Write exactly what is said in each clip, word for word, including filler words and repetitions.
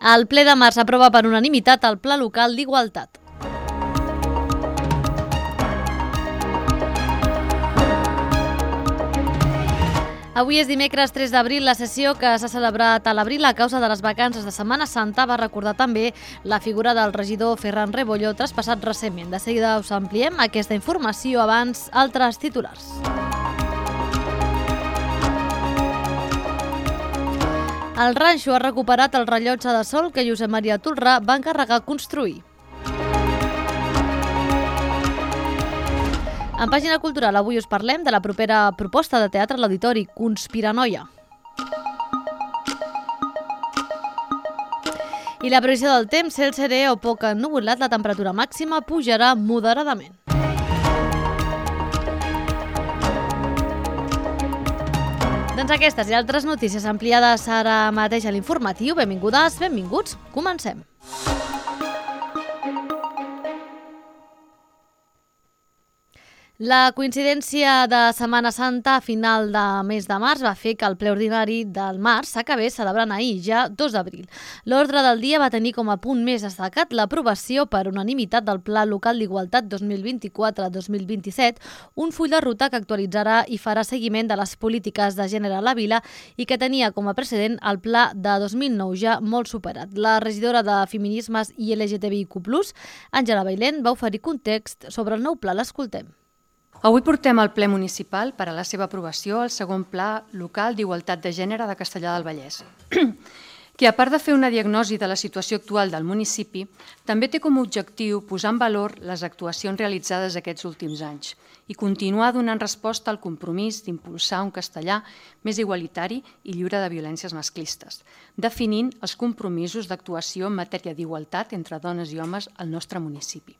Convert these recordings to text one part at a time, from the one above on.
El ple de març aprova per unanimitat el Pla Local d'Igualtat. Avui és dimecres tres d'abril. La sessió que s'ha celebrat a l'abril a causa de les vacances de Setmana Santa va recordar també la figura del regidor Ferran Rebollo, traspassat recentment. De seguida us ampliem aquesta informació, abans altres titulars. El Ranxo ha recuperat el rellotge de sol que Josep Maria Tolrà va encarregar construir. En pàgina cultural avui us parlem de la propera proposta de teatre a l'Auditori, Conspiranoia. I la previsió del temps, cel serè o poc ennuvolat, la temperatura màxima pujarà moderadament. Doncs aquestes i altres notícies ampliades ara mateix a l'informatiu. Benvingudes, benvinguts, comencem. La coincidència de Setmana Santa a final de mes de març va fer que el ple ordinari del març s'acabés celebrant ahir, ja dos d'abril. L'ordre del dia va tenir com a punt més destacat l'aprovació per unanimitat del Pla Local d'Igualtat dos mil vint-i-quatre dos mil vint-i-set, un full de ruta que actualitzarà i farà seguiment de les polítiques de gènere a la vila i que tenia com a precedent el pla de dos mil nou, ja molt superat. La regidora de Feminismes i L G T B I Q plus, Àngela Bailén, va oferir context sobre el nou pla. L'escoltem. Avui portem al ple municipal per a la seva aprovació el segon Pla Local d'Igualtat de Gènere de Castellar del Vallès, que a part de fer una diagnosi de la situació actual del municipi, també té com a objectiu posar en valor les actuacions realitzades aquests últims anys i continuar donant resposta al compromís d'impulsar un castellà més igualitari i lliure de violències masclistes, definint els compromisos d'actuació en matèria d'igualtat entre dones i homes al nostre municipi.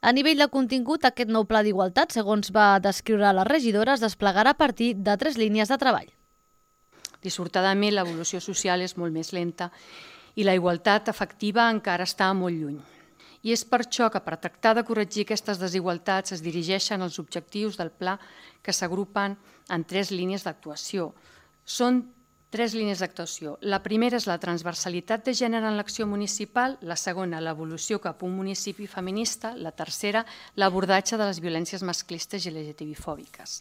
A nivell de contingut, aquest nou pla d'igualtat, segons va descriure la regidora, es desplegarà a partir de tres línies de treball. Dissortadament, l'evolució social és molt més lenta i la igualtat efectiva encara està molt lluny. I és per això que per tractar de corregir aquestes desigualtats es dirigeixen els objectius del pla que s'agrupen en tres línies d'actuació. Són tres línies d'actuació. La primera és la transversalitat de gènere en l'acció municipal, la segona, l'evolució cap a un municipi feminista, la tercera, l'abordatge de les violències masclistes i L G T B-fòbiques.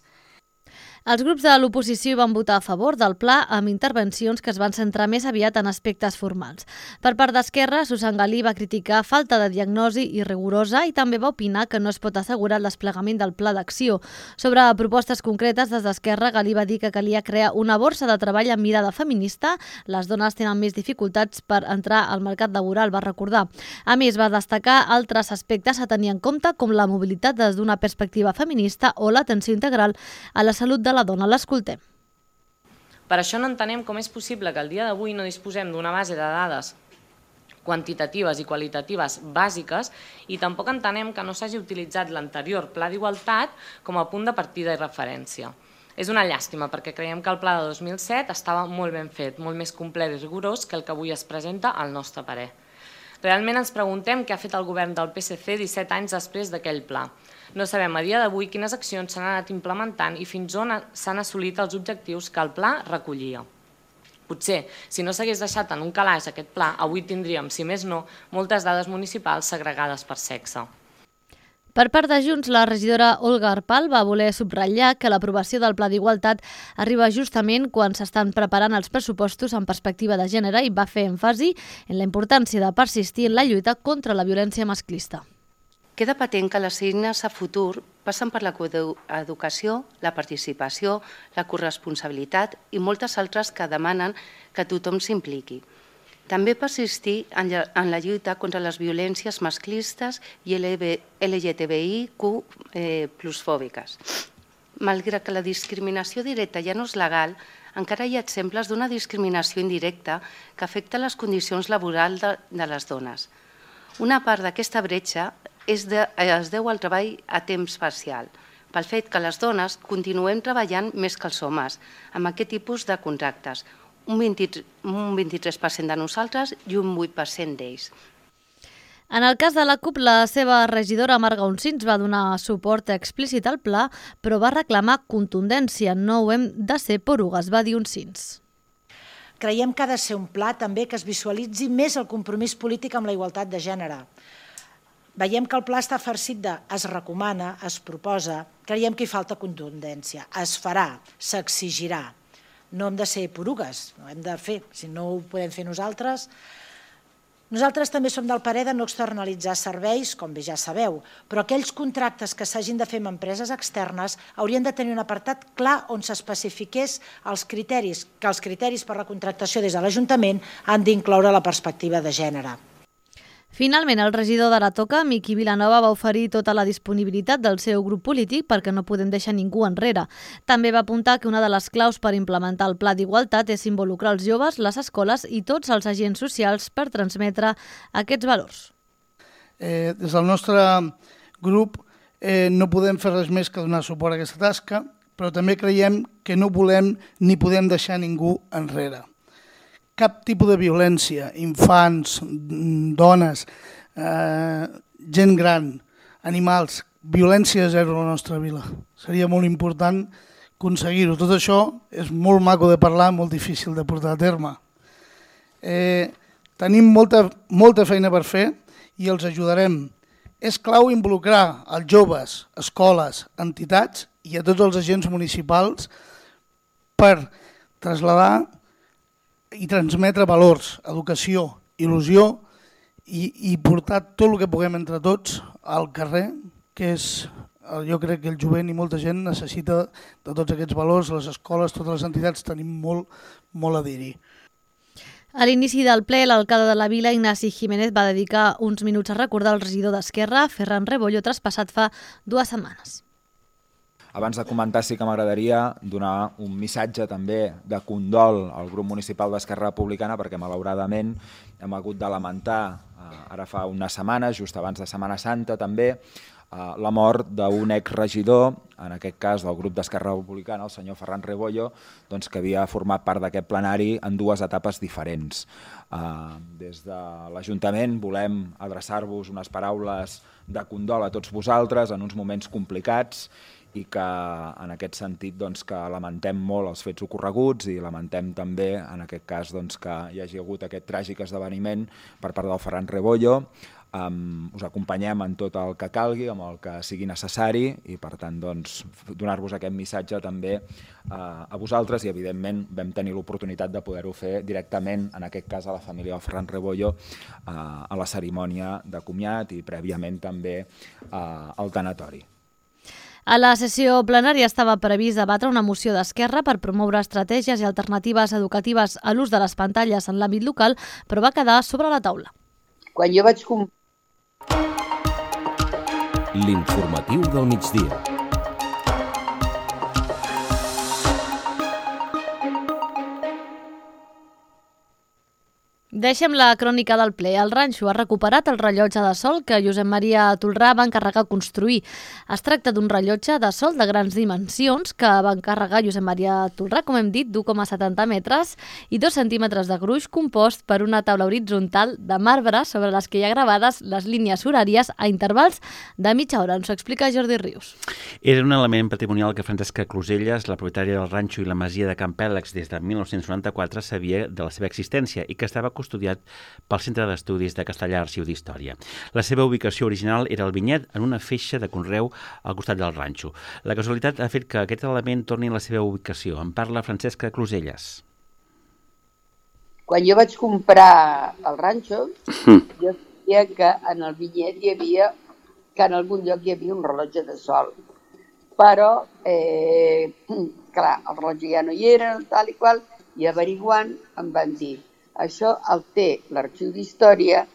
Els grups de l'oposició van votar a favor del pla amb intervencions que es van centrar més aviat en aspectes formals. Per part d'Esquerra, Susan Galí va criticar falta de diagnosi i rigorosa i també va opinar que no es pot assegurar el desplegament del pla d'acció. Sobre propostes concretes, des d'Esquerra, Galí va dir que calia crear una borsa de treball amb mirada feminista. Les dones tenen més dificultats per entrar al mercat laboral, va recordar. A més, va destacar altres aspectes a tenir en compte, com la mobilitat des d'una perspectiva feminista o l'atenció integral a la salut de la dona. L'escoltem. Per això no entenem com és possible que al dia d'avui no disposem d'una base de dades quantitatives i qualitatives bàsiques i tampoc entenem que no s'hagi utilitzat l'anterior pla d'igualtat com a punt de partida i referència. És una llàstima perquè creiem que el pla de dos mil set estava molt ben fet, molt més complet i rigorós que el que avui es presenta al nostre parer. Realment ens preguntem què ha fet el govern del P S C disset anys després d'aquell pla. No sabem a dia d'avui quines accions s'han anat implementant i fins on s'han assolit els objectius que el pla recollia. Potser, si no s'hagués deixat en un calaix aquest pla, avui tindríem, si més no, moltes dades municipals segregades per sexe. Per part de Junts, la regidora Olga Arpal va voler subratllar que l'aprovació del Pla d'Igualtat arriba justament quan s'estan preparant els pressupostos en perspectiva de gènere i va fer èmfasi en la importància de persistir en la lluita contra la violència masclista. Queda patent que les eines a futur passen per la coeducació, la participació, la corresponsabilitat i moltes altres que demanen que tothom s'impliqui. També persistir en la lluita contra les violències masclistes i L G T B I Q plus fòbiques. Malgrat que la discriminació directa ja no és legal, encara hi ha exemples d'una discriminació indirecta que afecta les condicions laborals de les dones. Una part d'aquesta bretxa es deu al treball a temps parcial, pel fet que les dones continuem treballant més que els homes amb aquest tipus de contractes, un vint-i-tres per cent de nosaltres i un vuit per cent d'ells. En el cas de la CUP, la seva regidora Marga Uncins va donar suport explícit al pla, però va reclamar contundència. No ho hem de ser porugues, va dir Uncins. Creiem que ha de ser un pla també que es visualitzi més el compromís polític amb la igualtat de gènere. Veiem que el pla està farcit de es recomana, es proposa, creiem que hi falta contundència, es farà, s'exigirà. No hem de ser porugues, no hem de fer, si no ho podem fer nosaltres. Nosaltres també som del parer de no externalitzar serveis, com bé ja sabeu, però aquells contractes que s'hagin de fer amb empreses externes haurien de tenir un apartat clar on s'especifiqués els criteris, que els criteris per la contractació des de l'Ajuntament han d'incloure la perspectiva de gènere. Finalment, el regidor de la Toca, Miqui Vilanova, va oferir tota la disponibilitat del seu grup polític perquè no podem deixar ningú enrere. També va apuntar que una de les claus per implementar el pla d'igualtat és involucrar els joves, les escoles i tots els agents socials per transmetre aquests valors. Eh, des del nostre grup eh, no podem fer res més que donar suport a aquesta tasca, però també creiem que no volem ni podem deixar ningú enrere. Cap tipus de violència, infants, dones, eh, gent gran, animals, violència zero a la nostra vila. Seria molt important aconseguir-ho. Tot això és molt maco de parlar, molt difícil de portar a terme. Eh, tenim molta, molta feina per fer i els ajudarem. És clau involucrar els joves, escoles, entitats i a tots els agents municipals per traslladar i transmetre valors, educació, il·lusió i, i portar tot el que puguem entre tots al carrer, que és, jo crec que el jovent i molta gent necessita de tots aquests valors, les escoles, totes les entitats tenim molt, molt a dir-hi. A l'inici del ple, l'alcalde de la vila, Ignasi Jiménez, va dedicar uns minuts a recordar el regidor d'Esquerra, Ferran Rebollo, traspassat fa dues setmanes. Abans de comentar, sí que m'agradaria donar un missatge també de condol al grup municipal d'Esquerra Republicana perquè malauradament hem hagut de lamentar, ara fa unes setmanes, just abans de Setmana Santa també, la mort d'un exregidor, en aquest cas del grup d'Esquerra Republicana, el senyor Ferran Rebollo, doncs, que havia format part d'aquest plenari en dues etapes diferents. Des de l'Ajuntament volem adreçar-vos unes paraules de condol a tots vosaltres en uns moments complicats i que en aquest sentit doncs, que lamentem molt els fets ocorreguts i lamentem també en aquest cas doncs, que hi hagi hagut aquest tràgic esdeveniment per part del Ferran Rebollo. Um, us acompanyem en tot el que calgui, amb el que sigui necessari i per tant doncs, donar-vos aquest missatge també uh, a vosaltres i evidentment vam tenir l'oportunitat de poder-ho fer directament, en aquest cas a la família del Ferran Rebollo, uh, a la cerimònia de comiat i prèviament també uh, al tanatori. A la sessió plenària estava previst debatre una moció d'Esquerra per promoure estratègies i alternatives educatives a l'ús de les pantalles en l'àmbit local, però va quedar sobre la taula. Quan jo vaig comprar... L'informatiu del migdia. Deixem la crònica del ple. El ranxo ha recuperat el rellotge de sol que Josep Maria Tolrà va encarregar construir. Es tracta d'un rellotge de sol de grans dimensions que va encarregar Josep Maria Tolrà, com hem dit, d'u coma setanta metres i dos centímetres de gruix, compost per una taula horitzontal de marbre sobre les que hi ha gravades les línies horàries a intervals de mitja hora. Ens ho explica Jordi Rius. Era un element patrimonial que Francesca Closelles, la propietària del ranxo i la masia de Can Pèlex des de mil nou-cents noranta-quatre, sabia de la seva existència i que estava estudiat pel Centre d'Estudis de Castellar Arxiu d'Història. La seva ubicació original era el vinyet en una feixa de conreu al costat del ranxo. La casualitat ha fet que aquest element torni a la seva ubicació. En parla Francesca Closelles. Quan jo vaig comprar el ranxo, jo sabia que en el vinyet hi havia, que en algun lloc hi havia un rellotge de sol. Però, eh, clar, el rellotge ja no hi era, tal i qual, i averiguant em van dir això el té l'Arxiu d'Història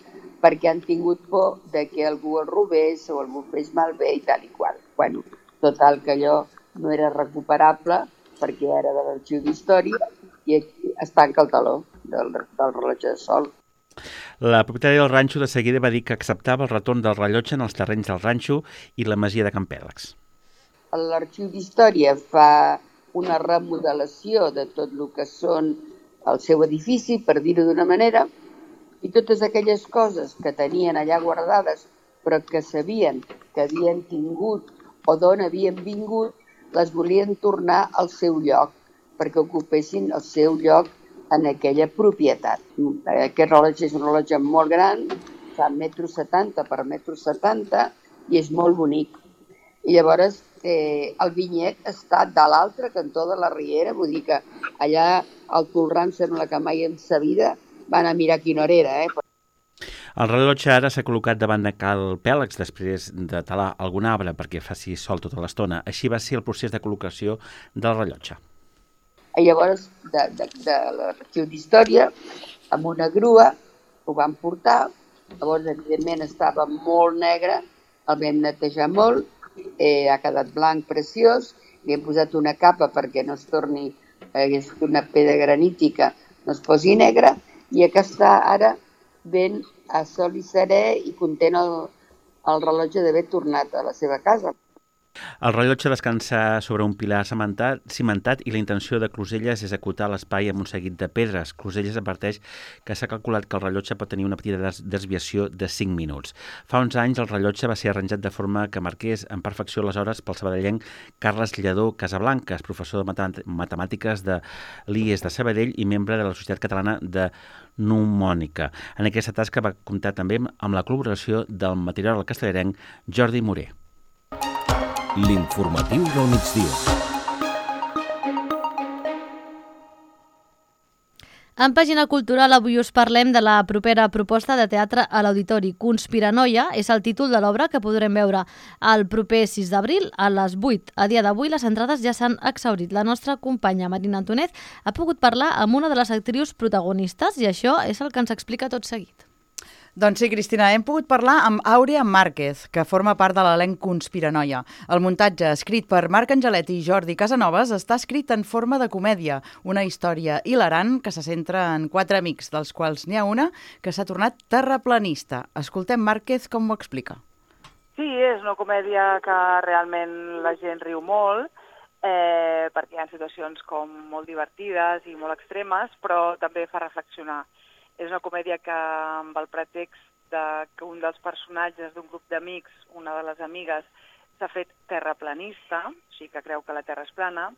perquè han tingut por de que algú el robés o algú fes malbé i tal i qual. Bueno, total, que allò no era recuperable perquè era de l'Arxiu d'Història i aquí es tanca el taló del, del rellotge de sol. La propietària del ranxo de seguida va dir que acceptava el retorn del rellotge en els terrenys del ranxo i la masia de Can Pèlex. L'Arxiu d'Història fa una remodelació de tot el que són el seu edifici, per dir-ho d'una manera, i totes aquelles coses que tenien allà guardades però que sabien que havien tingut o d'on havien vingut, les volien tornar al seu lloc, perquè ocupessin el seu lloc en aquella propietat. Aquest rellotge és un rellotge molt gran, fa metro setanta per metro setanta i és molt bonic. I llavors eh, el vinyet està de l'altre cantó de la riera, vull dir que allà al Tolran sembla que mai en sa vida van a mirar quina hora era, eh? El rellotge ara s'ha col·locat davant de Cal Pèlex després de talar algun arbre perquè faci sol tota l'estona. Així va ser el procés de col·locació del rellotge. I llavors, de, de, de l'Arxiu d'Història, amb una grua, ho van portar. Llavors, evidentment, estava molt negre, el vam netejar molt, eh, ha quedat blanc preciós, li hem posat una capa perquè no es torni, eh, és una pedra granítica, no es posi negra, i que està ara ben a sol i serè i content el, el rellotge d'haver tornat a la seva casa. El rellotge descansa sobre un pilar cimentat, cimentat i la intenció de Closelles és acotar l'espai amb un seguit de pedres. Closelles adverteix que s'ha calculat que el rellotge pot tenir una petita des desviació de cinc minuts. Fa uns anys el rellotge va ser arranjat de forma que marqués en perfecció les hores pel sabadellenc Carles Lledó Casablancas, professor de matemàtiques de l'I E S de Sabadell i membre de la Societat Catalana de Mnemònica. En aquesta tasca va comptar també amb la col·laboració del meteoròleg castellarenc Jordi Moré. L'informatiu del migdia. En pàgina cultural avui us parlem de la propera proposta de teatre a l'Auditori. Conspiranoia és el títol de l'obra que podrem veure el proper sis d'abril a les vuit. A dia d'avui les entrades ja s'han exhaurit. La nostra companya Marina Antònez ha pogut parlar amb una de les actrius protagonistes i això és el que ens explica tot seguit. Doncs sí, Cristina, hem pogut parlar amb Àurea Márquez, que forma part de l'elenc Conspiranoia. El muntatge, escrit per Marc Angelet i Jordi Casanovas, està escrit en forma de comèdia, una història hilarant que se centra en quatre amics, dels quals n'hi ha una que s'ha tornat terraplanista. Escoltem Márquez com ho explica. Sí, és una comèdia que realment la gent riu molt, eh, perquè hi ha situacions com molt divertides i molt extremes, però també fa reflexionar. És una comèdia que, amb el pretext de que un dels personatges d'un grup d'amics, una de les amigues, s'ha fet terraplanista, o sigui que creu que la Terra és plana,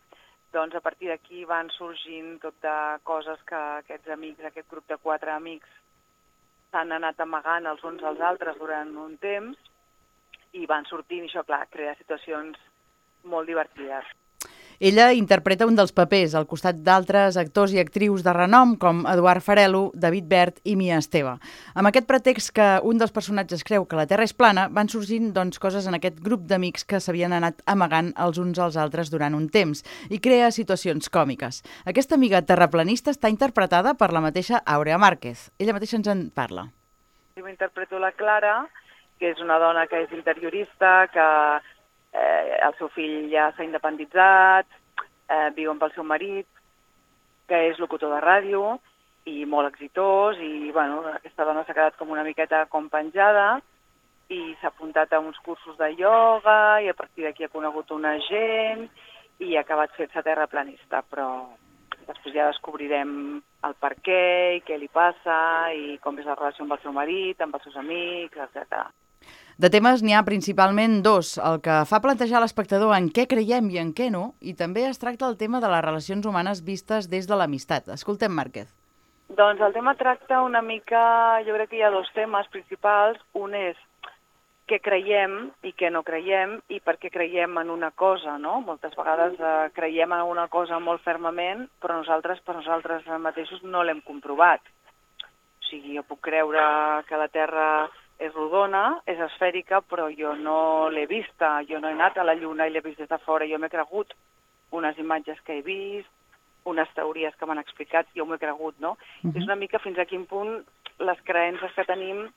doncs a partir d'aquí van sorgint tot de coses que aquests amics, aquest grup de quatre amics, s'han anat amagant els uns als altres durant un temps i van sortint, i això, clar, crea situacions molt divertides. Ella interpreta un dels papers al costat d'altres actors i actrius de renom com Eduard Farelo, David Bert i Mia Esteve. Amb aquest pretext que un dels personatges creu que la Terra és plana, van sorgint doncs, coses en aquest grup d'amics que s'havien anat amagant els uns als altres durant un temps i crea situacions còmiques. Aquesta amiga terraplanista està interpretada per la mateixa Àurea Márquez. Ella mateixa ens en parla. Jo interpreto la Clara, que és una dona que és interiorista, que Eh, el seu fill ja s'ha independitzat, eh, viu amb el seu marit, que és locutor de ràdio i molt exitós, i bueno, aquesta dona s'ha quedat com una miqueta com penjada i s'ha apuntat a uns cursos de ioga i a partir d'aquí ha conegut una gent i ha acabat fent-se terraplanista, però després ja descobrirem el per què i què li passa i com és la relació amb el seu marit, amb els seus amics, etcètera. De temes n'hi ha principalment dos, el que fa plantejar l'espectador en què creiem i en què no, i també es tracta el tema de les relacions humanes vistes des de l'amistat. Escoltem Márquez. Doncs el tema tracta una mica, jo crec que hi ha dos temes principals. Un és què creiem i què no creiem i per què creiem en una cosa, no? Moltes vegades eh, creiem en una cosa molt fermament, però nosaltres per nosaltres mateixos no l'hem comprovat. O sigui, jo puc creure que la Terra és rodona, és esfèrica, però jo no l'he vista, jo no he anat a la Lluna i l'he vist des de fora, jo m'he cregut unes imatges que he vist, unes teories que m'han explicat, jo m'ho he cregut, no? Uh-huh. És una mica fins a quin punt les creences que tenim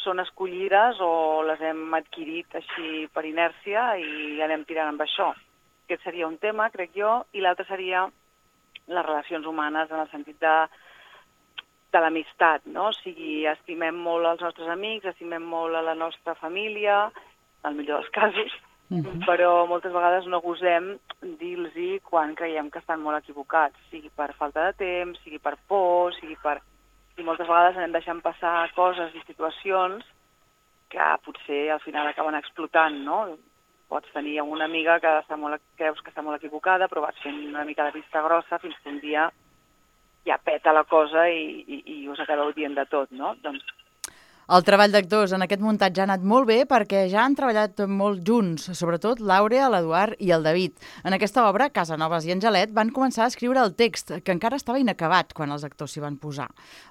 són escollides o les hem adquirit així per inèrcia i anem tirant amb això. Aquest seria un tema, crec jo, i l'altre seria les relacions humanes en el sentit de de l'amistat, no? O sigui, estimem molt els nostres amics, estimem molt a la nostra família, en el millor dels casos, uh-huh. però moltes vegades no gosem dir-los quan creiem que estan molt equivocats, sigui per falta de temps, sigui per por, sigui per... I moltes vegades anem deixant passar coses i situacions que potser al final acaben explotant, no? Pots tenir una amiga que està molt, creus que està molt equivocada, però vas fent una mica de vista grossa fins que un dia ja peta la cosa i, i, i us acabeu dient de tot, no? Doncs el treball d'actors en aquest muntatge ha anat molt bé perquè ja han treballat molt junts, sobretot l'Àurea, l'Eduard i el David. En aquesta obra, Casanovas i Angelet van començar a escriure el text, que encara estava inacabat quan els actors s'hi van posar.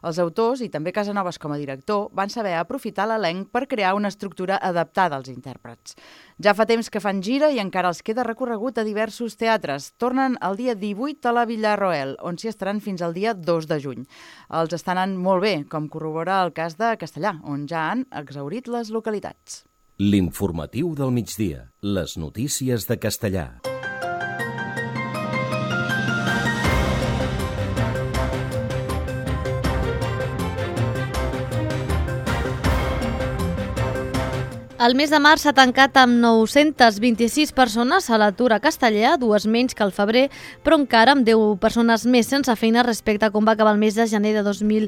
Els autors, i també Casanovas com a director, van saber aprofitar l'elenc per crear una estructura adaptada als intèrprets. Ja fa temps que fan gira i encara els queda recorregut a diversos teatres. Tornen el dia divuit a la Villarroel, on s'hi estaran fins al dia dos de juny. Els estan anant molt bé, com corrobora el cas de Castellà, on ja han exhaurit les localitats. L'informatiu del migdia. Les notícies de Castellà. El mes de març s'ha tancat amb nou-centes vint-i-sis persones a l'atur a Castellà, dues menys que al febrer, però encara amb deu persones més sense feina respecte a com va acabar el mes de gener de dos mil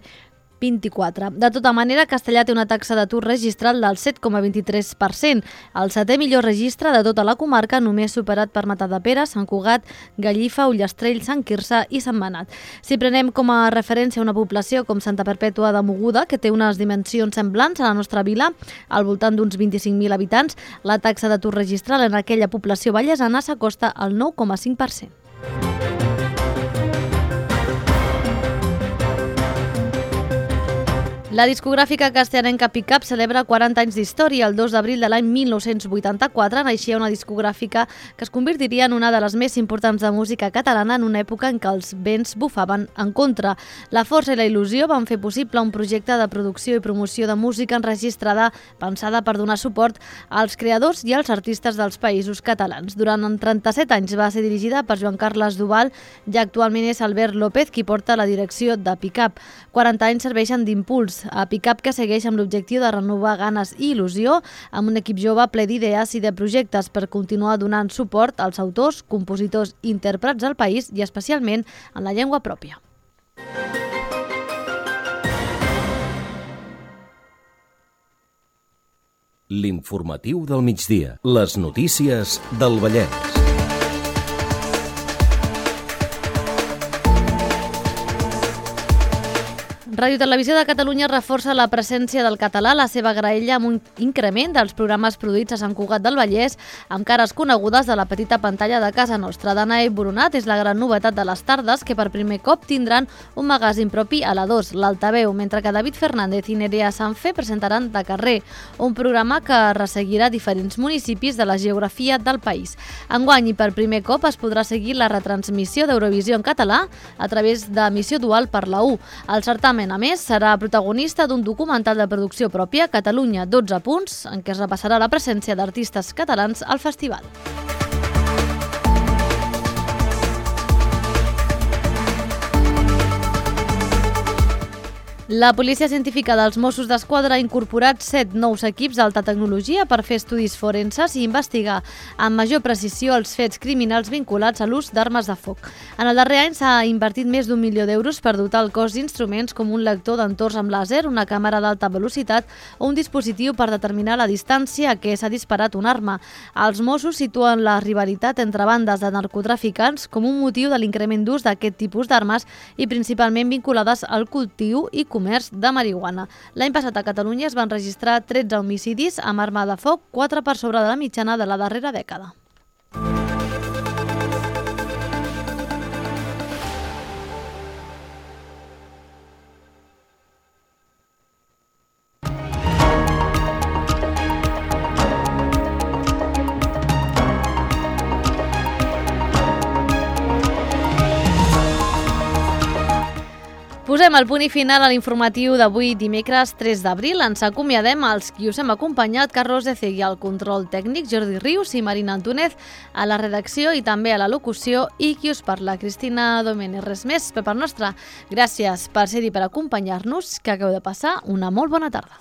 vint-i-quatre. De tota manera, Castellà té una taxa d'atur registral del set coma vint-i-tres per cent, el setè millor registre de tota la comarca, només superat per Matadepera, Sant Cugat, Gallifa, Ullastrell, Sant Quirze i Sant Manat. Si prenem com a referència una població com Santa Perpètua de Mogoda, que té unes dimensions semblants a la nostra vila, al voltant d'uns vint-i-cinc mil habitants, la taxa d'atur registral en aquella població vallesana s'acosta al nou coma cinc per cent. La discogràfica castellanenca Pickup celebra quaranta anys d'història. El dos d'abril de l'any mil nou-cents vuitanta-quatre naixia una discogràfica que es convertiria en una de les més importants de música catalana en una època en què els vents bufaven en contra. La força i la il·lusió van fer possible un projecte de producció i promoció de música enregistrada pensada per donar suport als creadors i als artistes dels països catalans. Durant trenta-set anys va ser dirigida per Joan Carles Duval i actualment és Albert López qui porta la direcció de Pickup. quaranta anys serveixen d'impuls a Pickup, que segueix amb l'objectiu de renovar ganes i il·lusió amb un equip jove ple d'idees i de projectes per continuar donant suport als autors, compositors i intèrprets del país i especialment en la llengua pròpia. L'informatiu del migdia. Les notícies del Vallès. Ràdio Televisió de Catalunya reforça la presència del català a la seva graella amb un increment dels programes produïts a Sant Cugat del Vallès amb cares conegudes de la petita pantalla de casa nostra. Danae Boronat és la gran novetat de les tardes, que per primer cop tindran un magazín propi a la dos, l'Altaveu, mentre que David Fernández i Nerea Sanfe presentaran De Carrer, un programa que resseguirà diferents municipis de la geografia del país. Enguany, i per primer cop, es podrà seguir la retransmissió d'Eurovisió en català a través d'emissió dual per la u. El certamen, a més, serà protagonista d'un documental de producció pròpia, Catalunya dotze punts, en què es repassarà la presència d'artistes catalans al festival. La Policia Científica dels Mossos d'Esquadra ha incorporat set nous equips d'alta tecnologia per fer estudis forenses i investigar amb major precisió els fets criminals vinculats a l'ús d'armes de foc. En el darrer any s'ha invertit més d'un milió d'euros per dotar el cos d'instruments com un lector d'entorns amb làser, una càmera d'alta velocitat o un dispositiu per determinar la distància a què s'ha disparat una arma. Els Mossos situen la rivalitat entre bandes de narcotraficants com un motiu de l'increment d'ús d'aquest tipus d'armes i principalment vinculades al cultiu i comerç de marihuana. L'any passat a Catalunya es van registrar tretze homicidis amb arma de foc, quatre per sobre de la mitjana de la darrera dècada. Posem el punt i final a l'informatiu d'avui dimecres tres d'abril. Ens acomiadem als qui us hem acompanyat, Carlos Ecegui al control tècnic, Jordi Rius i Marina Antúnez a la redacció i també a la locució i qui us parla, Cristina Domènech. Res més per part nostra. Gràcies per ser-hi, per acompanyar-nos, que acabeu de passar una molt bona tarda.